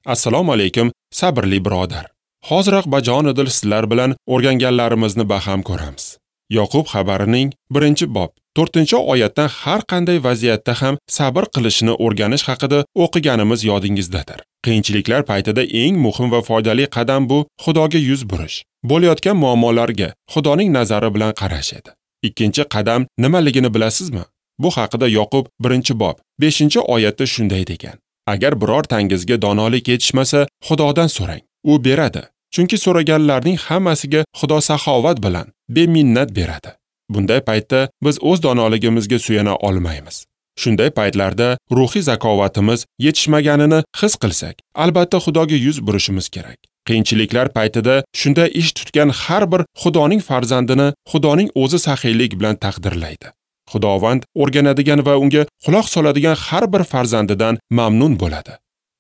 Assalomu alaykum, sabrli birodar. Hoziroq bajonidil sizlar bilan o'rganganlarimizni baham ko'ramiz. Yoqub xabarining 1-bob 4-oyatdan har qanday vaziyatda ham sabr qilishni o'rganish haqida o'qiganimiz yodingizdadir. Qiyinchiliklar paytida eng muhim va foydali qadam bu Xudoga yuz burish. Bo'layotgan muammolarga Xudoning nazari bilan qarash edi. Ikkinchi qadam nimaligini bilasizmi? Bu haqida Yoqub 1-bob 5-oyatda shunday degan: Agar birortangizga donolik yetishmasa, Xudodan so'rang, u beradi. Chunki so'raganlarning hammasiga Xudo saxovat bilan beminnat beradi. Bunday paytda biz o'z donoligimizga suyana olmaymiz. Shunday paytlarda ruhiy zakovatimiz yetishmaganini his qilsak, albatta Xudoga yuz burishimiz kerak. Qiyinchiliklar paytida shunday ish tutgan har bir Xudoning farzandini Xudoning o'zi saxiylik bilan taqdirlaydi. Xudovand o'rganadigan va unga quloq soladigan har bir farzandidan mamnun bo'ladi.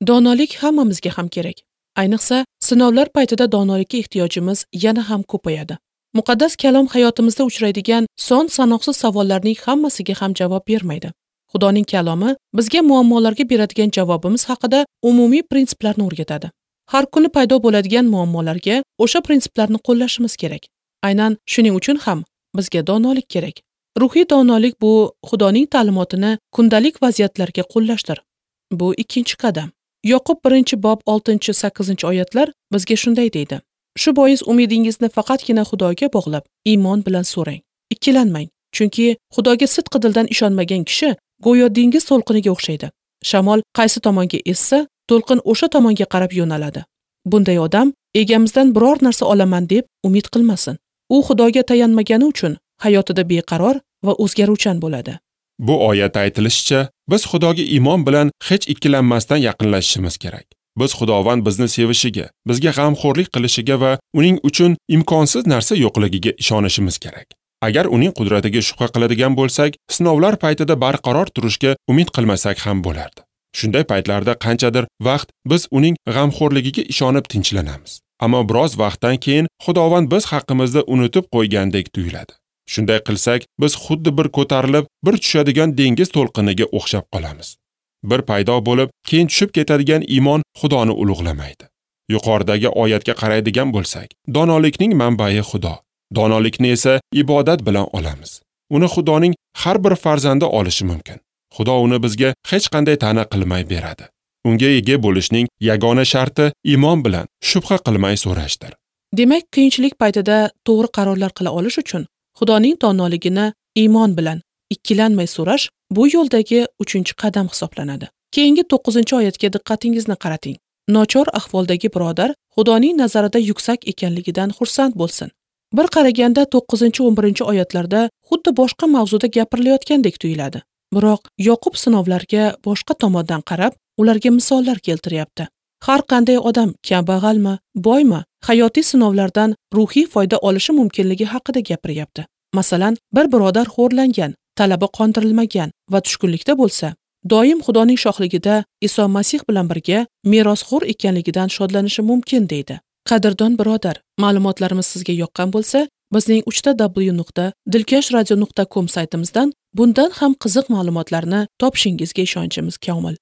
Donolik hammamizga ham kerak. Ayniqsa, sinovlar paytida donolikka ehtiyojimiz yana ham ko'payadi. Muqaddas kalom hayotimizda uchraydigan son sanoqsiz savollarning hammasiga ham javob bermaydi. Xudoning kalomi bizga muammolarga beradigan javobimiz haqida umumiy prinsiplarni o'rgatadi. Har kuni paydo bo'ladigan muammolarga o'sha prinsiplarni qo'llashimiz kerak. Aynan shuning uchun ham bizga donolik kerak. Ruhiy donolik bu Xudoning ta'limotini kundalik vaziyatlarga qo'llashdir. Bu ikkinchi qadam. Yoqub 1-bob 6-8 oyatlar bizga shunday deydi: Shu bois umidingizni faqatgina Xudoga bog'lab, iymon bilan so'rang. Ikkilanmang, chunki Xudoga sidqi dildan ishonmagan kishi go'yo dengiz to'lqiniga o'xshaydi. Shamol qaysi tomonga essa, to'lqin o'sha tomonga qarab yo'naladi. Bunday odam egamizdan biror narsa olaman deb umid qilmasin. U Xudoga tayanmagani uchun hayotida beqaror va o'zgaruvchan bo'ladi. Bu oyatda aytilishicha, biz Xudoga iymon bilan hech ikkilanmasdan yaqinlashishimiz kerak. Biz Xudovand bizni sevishiga, bizga g'amxo'rlik qilishiga va uning uchun imkonsiz narsa yo'qligiga ishonishimiz kerak. Agar uning qudratiga shubha qiladigan bo'lsak, sinovlar paytida barqaror turishga umid qilmasak ham bo'lardi. Shunday paytlarda qanchadir vaqt biz uning g'amxo'rligiga ishonib tinchlanamiz. Ammo biroz vaqtdan keyin Xudovand biz haqimizda unutib qo'ygandek tuyuladi. Shunday qilsak, biz xuddi bir ko'tarilib, bir tushadigan dengiz to'lqiniga o'xshab qolamiz. Bir paydo bo'lib, keyin tushib ketadigan iymon Xudoni ulug'lamaydi. Yuqoridagi oyatga qaraydigan bo'lsak, donolikning manbai Xudo. Donolikni esa ibodat bilan olamiz. Uni Xudoning har bir farzandi olishi mumkin. Xudo uni bizga hech qanday ta'na qilmay beradi. Unga ega bo'lishning yagona sharti iymon bilan shubha qilmay so'rashdir. Demak, qiyinchilik paytida to'g'ri qarorlar qila olish uchun Xudoning donoligini iymon bilan ikkilanmay so'rash bu yo'ldagi 3-qadam hisoblanadi. Keyingi 9-oyatga diqqatingizni qarating. Nochor ahvoldagi birodar Xudoning nazarida yuksak ekanligidan xursand bo'lsin. Bir qaraganda 9-11 oyatlarda xuddi boshqa mavzuda gapirilayotgandek tuyuladi. Biroq Yoqub sinovlarga boshqa tomondan qarab, ularga misollar keltiryapti. Har qanday odam kambag'almi, boymi, hayotiy sinovlardan ruhiy foyda olishi mumkinligi haqida gapiryapti. Masalan, bir birodar xo'rlangan, talabi qondirilmagan va tushkunlikda bo'lsa, doim Xudoning shohligida Iso Masih bilan birga merosxo'r ekanligidan shodlanishi mumkin deydi. Qadrdon birodar, ma'lumotlarimiz sizga yoqqan bo'lsa, bizning 3w.dilkashradio.com saytimizdan bundan ham qiziq ma'lumotlarni topishingizga ishonchimiz komil.